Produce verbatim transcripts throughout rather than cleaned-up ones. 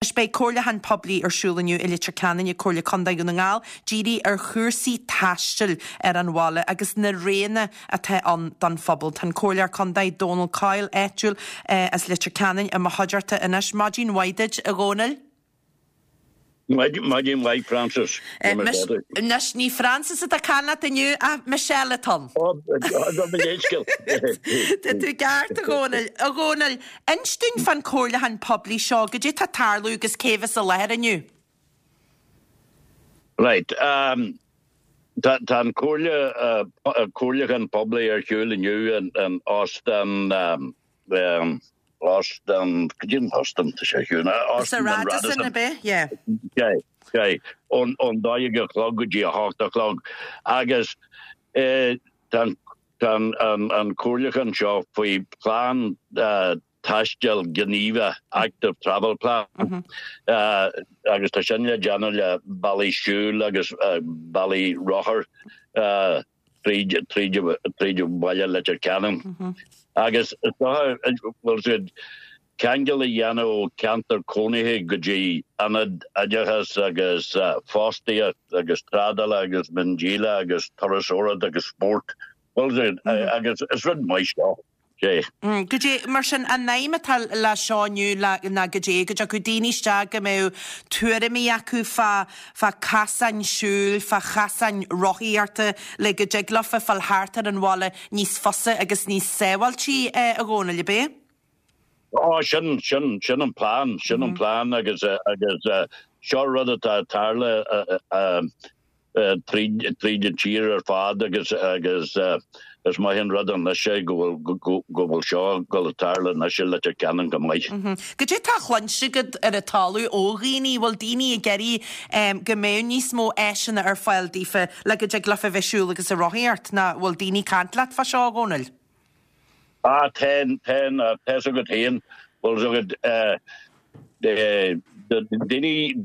Anois beidh comhairliúchán poiblí ar siúl inniu i Leitir Ceanainn ag Comhairle Contae Dhún na nGall, dírithe ar chúrsaí taistil ar an bhaile agus na roghanna atá ann don phobal. Tá an Comhairleoir Contae Dónal Coyle, áitiúil as Leitir Ceanainn, i mo chuideachta anois. Maidin mhaith duit, a Dhónaill. Maidin mhaith, Frances. Anois ní Frances atá ag caint leat inniu ach Michelle atá ann. Tá tú ceart, a Dhónaill. A Dhónaill, inis dúinn fán comhairliúchán poiblí seo, goidé tá ag tarlú agus cé bheas i láthair inniu? Right. Um, tá an comhairle comhairliúchán poiblí ar siúl inniu in Óstán um, um, Óstán cad Óstán tá sé Sa Radisson ab ea? Yeah. ón ón dó dhéag a chlog go dtí a hocht a chlog agus tá an an comhairliúchán seo faoi plean taistil gníomhach active travel plan agus tá sin le déanamh le bealaí siúil agus bealaí rothar tríd tríd tríd bhaile Leitir Ceanainn. Agus bhfuil siad ceangal a dhéanamh ó ceantar cónaithe go dtí ionad oideachas agus fostaíocht agus trádála agus miondíola agus turasóireacht agus spórt. Bhfuil siad agus is rud maith seo. Sé. Goidé, mar sin, an aidhm atá le seo inniu ná goidé, go dtiocfadh daoine isteach go mbeadh tuairimí acu fá fá casáin siúil, fá chasáin rothaíochta le go dtig leofa fáil thart ar an bhaile níos fusa agus níos sábháiltí, a Dhónaill, ab ea? Ó, sin, sin, sin an plean, sin an plean agus agus seo rud atá ag tarlú tríd tríd an tír ar fad agus agus is maith an rud anois é go bhfuil go bhfuil seo ag dul ag tarlú anois i Leitir Ceanainn go maith. Goidé tá cluinste agat ar an talamh ó dhaoine, bhfuil daoine ag iarraidh go mbeadh níos mó áiseanna ar fáil daofa le go dtig leofa bheith ag siúl agus ag rothaíocht nó bhfuil daoine ag caint leat fá seo, a Dhónaill? Ah, tá, tá, tá's agat féin, bhfuil agat daoine,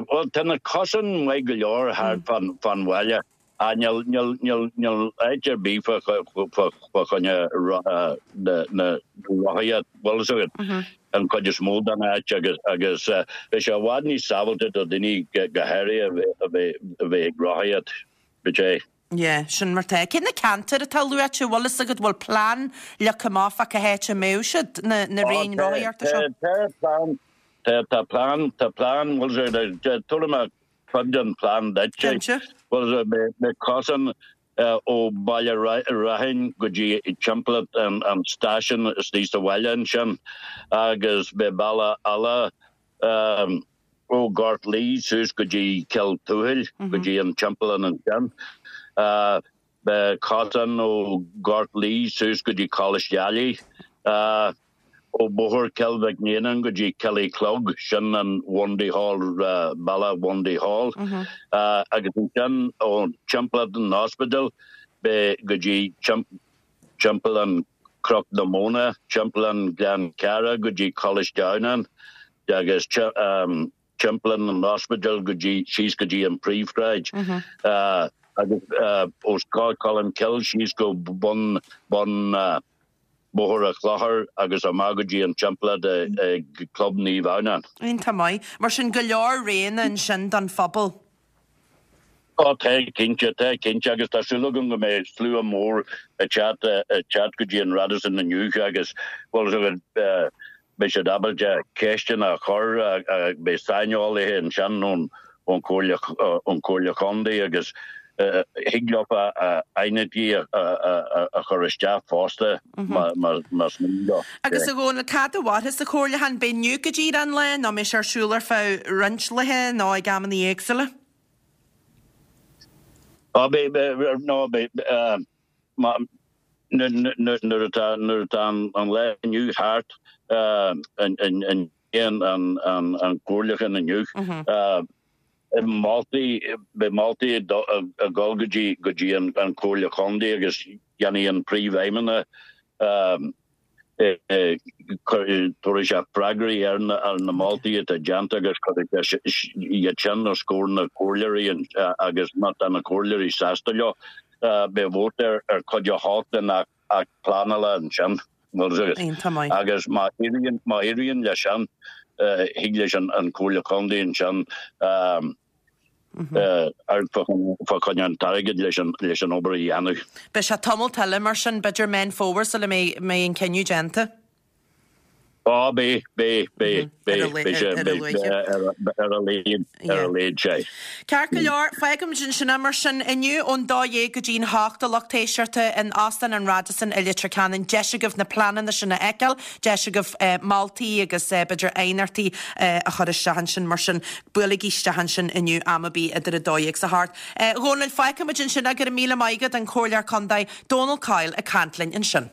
bhuel tá na cosáin maith go leor thart fán bhaile. Ah, níl, níl, níl, níl áit ar bith fá, fá, fá choinne na, na rothaíocht, bhfuil fhios agat, an chuid is mó den áit agus, agus beidh sé i bhfad níos sábháilte do dhaoine go háirithe a bheith, a bheith, a bheith ag rothaíocht, b'fhéidir. Yeah, sin mar tá. Cé na ceantair atá luaite, bhfuil fhios agat, bhfuil plean leagtha amach fá cá háit a mbeadh siad, na, na raon rothaíochta seo? Tá, tá plean, tá, tá plean, tá plean, bhfuil fhios agat, tabharfaidh mé cuid den phlean duit. Cinnte. Bhuel, beidh cosán ó Bhaile Raithin go dtí timpeall an stáisiún istigh sa bhaile ansin agus beidh bealach eile ó Ghort Laoi suas go dtí Cill Tuathail, go dtí an timpeallán ansin. Beidh cosán ó Ghort Laoi suas go dtí Coláiste Ailigh. Ó Bhóthar Chill Mhic Néanáin go dtí Cill Uí Chlog, sin an Bhundy Hall, bealach Bhundy Hall, agus ansin ó timpeallacht an ospidéil beidh go dtí timpeallán Chnoc na Móna, timpeallán Ghleann Ceara go dtí Coláiste Adhamhnáin agus timpeallán an ospidéil go dtí síos go dtí an príomhshráid agus ó Scoil Cholmcille síos go bun bun Bóthar an Chlochair agus amach go dtí an timpeallacht ag Club Naomh Adhamhnáin. Iontach maith. Mar sin, go leor roghanna ansin don phobal. Ó tá, cinnte, tá cinnte agus tá súil agam go mbeidh slua mór ag teacht ag teacht go dtí an Radisson inniu agus bhuel beidh siad ábalta ceisteanna a chur, beidh saineolaithe ansin ón ón Chomhairle Chontae agus thig leo a aighneachtaí a chur isteach fosta más mian leo. Agus a Dhónaill, cá fhad a mhairfeas an comhairliúchán? Beidh inniu go díreach an lá nó mbeidh sé ar siúl ar feadh roinnt laetha nó ag amanna éagsúla? Á, beidh, nó beidh, nuair atá nuair atá an lá inniu thart, an an comhairliúchán inniu, moltaí, beidh moltaí ag dul go dtí go dtí an Chomhairle Chontae agus déanfaidh an Príomhfheidhmeannach tabharfaidh sé freagraí ar na moltaí atá déanta agus cuirfidh sé iad sin os comhair na comhairleoirí agus má tá na comhairleoirí sásta leo beidh vóta ar chuid a hocht den Acht Pleanála ansin. Iontach maith. Agus má éiríonn má éiríonn leis sin thig leis an an Comhairle Contae ansin ar fá choinne an t-airgead leis an leis an obair a dhéanamh. Beidh sé tamall eile mar sin b'fhéidir Meán Fómhair sula mbeidh an cinneadh déanta. Á beidh beidh beidh beidh beidh sé ar a laghad ar a laghad sé. Ceart go leor fágfaimid ansin é mar sin inniu ón dó dhéag go dtí'n hocht a lucht éisteachta in Óstán an Radisson i Leitir Ceanainn deis agaibh na pleananna sin a fheiceáil, deis agaibh moltaí agus b'fhéidir aighneachtaí a chur isteach ansin mar sin buailigí isteach ansin inniu am ar bith idir a dó dhéag 's a hocht. Dhónaill fágfaimid ansin é go raibh míle maith agat an Comhairleoir Contae Donal Coyle ag caint linn ansin.